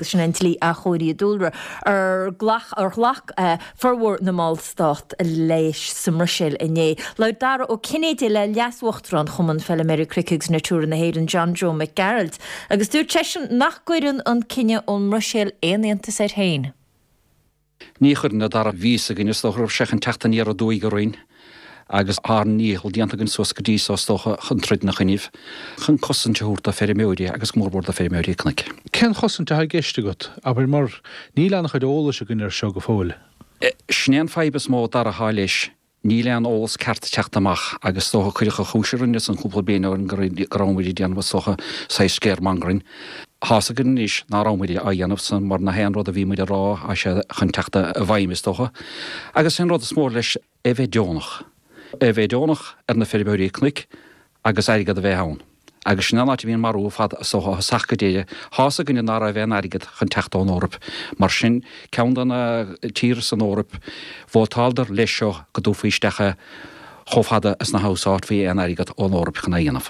Sin an Dlí Athchóirithe Dúlra ar ghlac formhór na mballstát leis sa mBruiséil inné. Labhair Dara Ó Cinnéide le Leas-Uachtarán Chumann Feilméaraí Cnoic agus Natura na hÉireann, John Joe Mac Gearailt, agus dúirt seisean nach gcuireann an cinneadh ón mBruiséil aon iontas air féin. Ní chuireann, a Dhara. Bhí fhios againn, is dócha, go raibh sé chun teacht aniar aduaidh orainn agus ár ndícheall déanta againn suas go dtí so, is dócha, chun troid ina choinnibh, chun cosaint a thabhairt do feirmeoirí agus go mór mór do feirmeoirí cnoic. Cén chosaint atá i gceist agat, abair, mar níl an-chuid eolais againn air seo go fóill. Sin é an fadhb is mó, a Dhara, atá leis. Níl aon eolas ceart ag teacht amach agus is dócha cuireadh an chúis orainn ansan cúpla bliain ó shin go rabhamair ag déanamh is dócha saghas scaremongering. Tá's againn anois ná rabhamair á dhéanamh san mar nach aon rud a bhí muid a rá tá sé chun teacht i bhfeidhm is dócha. Agus an rud is mó leis é bheith deonach. É bheith deonach ar na feirmeoirí cnoic agus airgead a bheith ann. Agus sin an áit a bhí an marú ar fad is dócha ó thosach go deireadh. Tá's againne ná raibh aon airgead chun teacht ón Eoraip. Mar sin, ceann de na tíortha san Eoraip, vótáladar leis seo go dtabharfaí isteach é chomh fada is nach úsáidfí aon airgead ón Eoraip chun é a dhéanamh.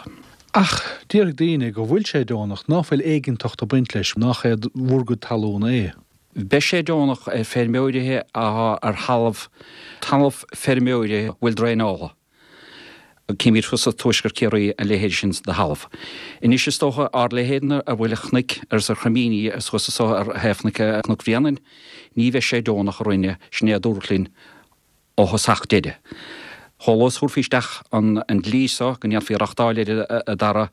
Ach déarfaidh daoine go bhfuil sé deonach, ná fuil éigeantacht ag baint leis, nach é bhur gcuid talún é. Beidh sé deonach ar feirmeoirithe athá ar thalamh, talamh feirmeoirithe a bhfuil draenáilte. Címid thuas i dtuaisceart Chiarraí a leithéid sin de thalamh. Anois is dócha ár leithéidne a bhfuil ar chnoic agus ar chroimíní is thuas anso ar thaobh chnoic Cnoc Bhréanainn, ní bheidh sé deonach orainne, sin é a dúradh linn ó thosach deireadh. Chomh luath is thabharfaí isteach an dlí so go ndéanfaí reachtáil air a Dhara,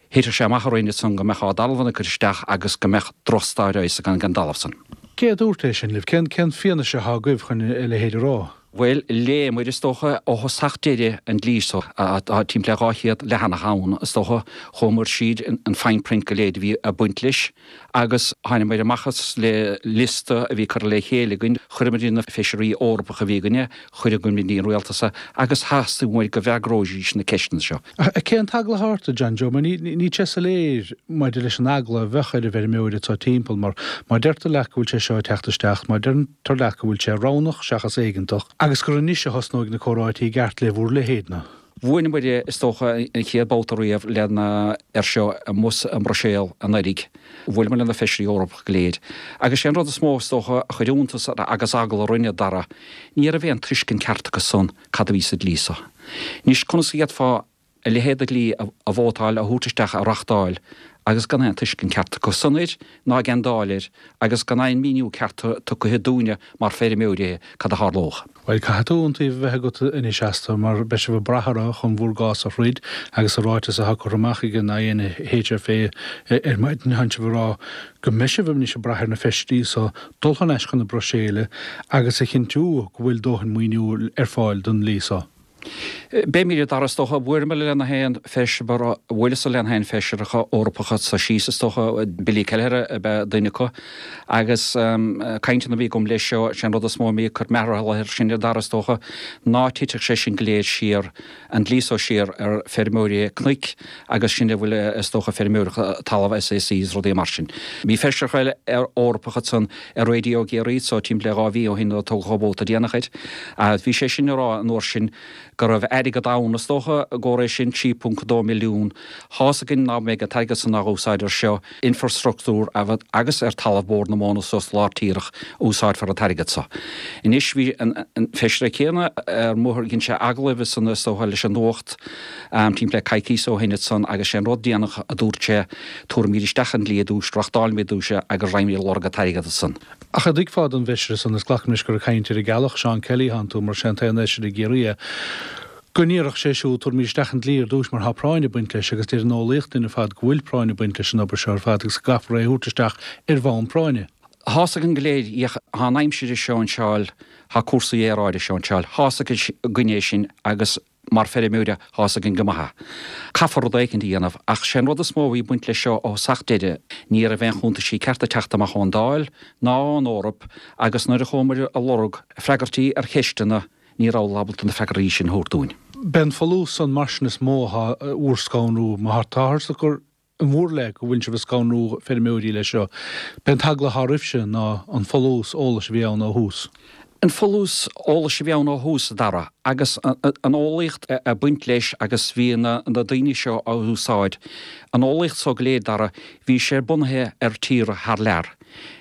Thitfeadh sé amach orainn ansan go mbeadh ár dtalamhanna curtha isteach agus go mbeadh drochstair fhios againn den dtalamh san. Cé a dúirt é sin libh? Cén cén fianaise atá agaibh chun a leithéid a rá? Bhuel, léamair, is dócha, ó thosach deireadh an dlí so. Tá timpeall le 200 leathanach ann, is dócha. Chuamair tríd an fine print go léir a bhí ag baint leis agus thánamair amach as le liosta a bhí curtha le chéile againn. Chuireamair chuig na feisirí Eorpacha a bhí againne, chuireamair go dtí an rialtas é agus theastaigh uainn go bhfreagróidís na ceisteanna seo. Ach cén t-eagla atá ort, a John Joe? Mar níl sé soiléir maidir leis an eagla a bheadh ar an bhfeirmeoir atá timpeall, mar má deirtear leat go bhfuil sé seo ag teacht isteach, má deirtear leat go bhfuil sé roghnach seachas éigeantach, agus gur anois a thosnóidh na comhráití i gceart le bhur leithéid-na. Bhuaileamair, is dócha, an chéad babhta riamh lena air seo amuigh i mBruiséal anuraidh. Bhuaileamair le na feisirí Eorpacha go léir. Agus sé an rud is mó, is dócha, a chuir iontas agus eagla orainne, a Dhara, ní raibh aon tuiscint ceart acu san cad a bhí sa dlí so. Anois, conas a d'fhéadfá a leithéid de dhlí a vótáil, a thabhairt isteach, a reachtáil agus gan aon tuiscint ceart acu san air ná ag an Dáil air agus gan aon míniú ceart tugtha dúinne mar feirmeoirí cad a tharlódh. Bhuel, caithfidh tú iontaoibh a bheith agat anois astu, mar beidh sibh ag brath orthu chun bhur gcás a throid agus sa ráiteas atá curtha amach ag an INHFA ar maidin, tánn sibh ag rá go mbeidh sibh anois ag brath ar na feisirí so dul thar n-ais chun na Bruiséile agus a chinntiú go bhfuil dóthain maoiniú ar fáil don dlí so. Beimid, a Dhara, is dócha. Bhuaileamar le na haon feisire, bhuaileas-sa le na haon feisireacha Eorpacha so síos, is dócha, Billy Kelleher ab ea duine acu, agus cainteanna a bhí agam leis seo, sé an rud is mó a bhí ag cur mearathal air sin, a Dhara, is dócha, ná titfeadh sé sin go léir siar an dlí so siar ar feirmeoirí cnoic agus sin a bhfuil is dócha feirmeoireacht talamh SACs is rudaí mar sin. Bhí feisireacha eile Eorpacha ansan ar Raidió Ciarraí so timpeall le 2 mhí ó shin nuair a toghadh an vóta déanach air. Bhí sé sin ag rá an uair sin go raibh airgead ann is dócha i gcomhair é sin, 3.2 milliún. Thá's againn ná mbeidh an t-airgead san á úsáid ar seo, infrastruchtúr agus ar talamh Bhord na Móna suas lár tíreach úsáidfear an t-airgead so. Anois bhí an feisire céanna ar mo dhein sé agallamh ansan is dócha leis an Nuacht timpeall le coicíos ó shin ansan agus sé an rud déanach a dúirt sé tabharfaimid isteach an dlí ar dtús, reachtáilfimid ar dtús é agus raghaimid ag lorg an t-airgead ansan. Ach an dtuigfeá don bhfeisire san, is glacaim leis gur ag caint ar an gCeallach, Seán Kelly, thánn tú, mar sé an t-aon fheisire i gCiarraí é, go ndéarfadh sé siúd, tabharfaimid isteach an dlí ar dtús mar tá práinn ag baint leis agus deir an eolaíocht linn ar fad go bhfuil práinn ag baint leis an obair seo ar fad agus go gcaithfear é a thabhairt isteach ar bhonn práinne. Thá's againn go léir, ach tá an aimsir ag seinseáil, tá cúrsaí aeráide ag seinseáil, thá's againn é sin agus mar feirmeoirí thá's againn go maith é. Caithfear rud éicint a dhéanamh ach sé an rud is mó a bhí ag baint leis seo ó thosach deireadh, ní raibh aon chuntaisí cearta ag teacht amach ón Dáil ná ón Eoraip agus nuair a chuamair a lorg freagairtí ar cheisteanna, Ní rabhadar ábalta na freagraí sin a thabhairt dúinn. B'é an folús san mar sin is mó atá bhur scanrú. Má táthar ag cur in bhur leith go bhfuil sibh ag scanrú feirmeoirí leis seo, b'é an t-eagla atá oraibhse ná an folús eolais a bhí ann ó thús. An folús eolais a bhí ann ó thús, a Dhara, agus an eolaíocht ag baint leis agus bhí na daoine seo á úsáid, an eolaíocht so go léir, Dara, bhí sé bunaithe ar tíortha thar lear.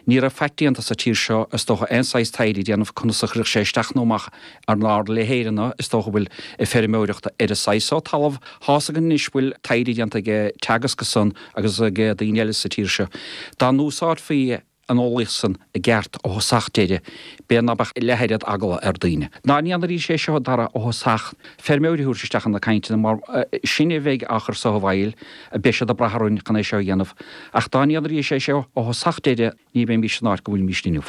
Ní raibh faic déanta sa tír seo, is dócha, aon saghas taighde a dhéanamh conas a chuirfeadh sé isteach nó amach ar ár leithéideanna, is dócha, a bhfuil ag feirmeoireacht ar an saghas so talamh. Tá's againn anois bhfuil taighde déanta ag Teagasc ansan agus ag daoine eile sa tír seo. Dá n-úsáidfí an eolaíocht san i gceart ó thosach deireadh, b'fhéidir ná beadh leath oiread eagla ar daoine. Dá ndéanfaidís é seo, a Dhara, ó thosach, feirmeoirí a thabhairt isteach ina cainteanna, mar sinne a bheidh á chur so i bhfeighil, beidh siad ag brath orainn chun é seo a dhéanamh. Ach dá ndéanfaidís é seo ó thosach deireadh, ní bheimís san áit go bhfuilimís inniu.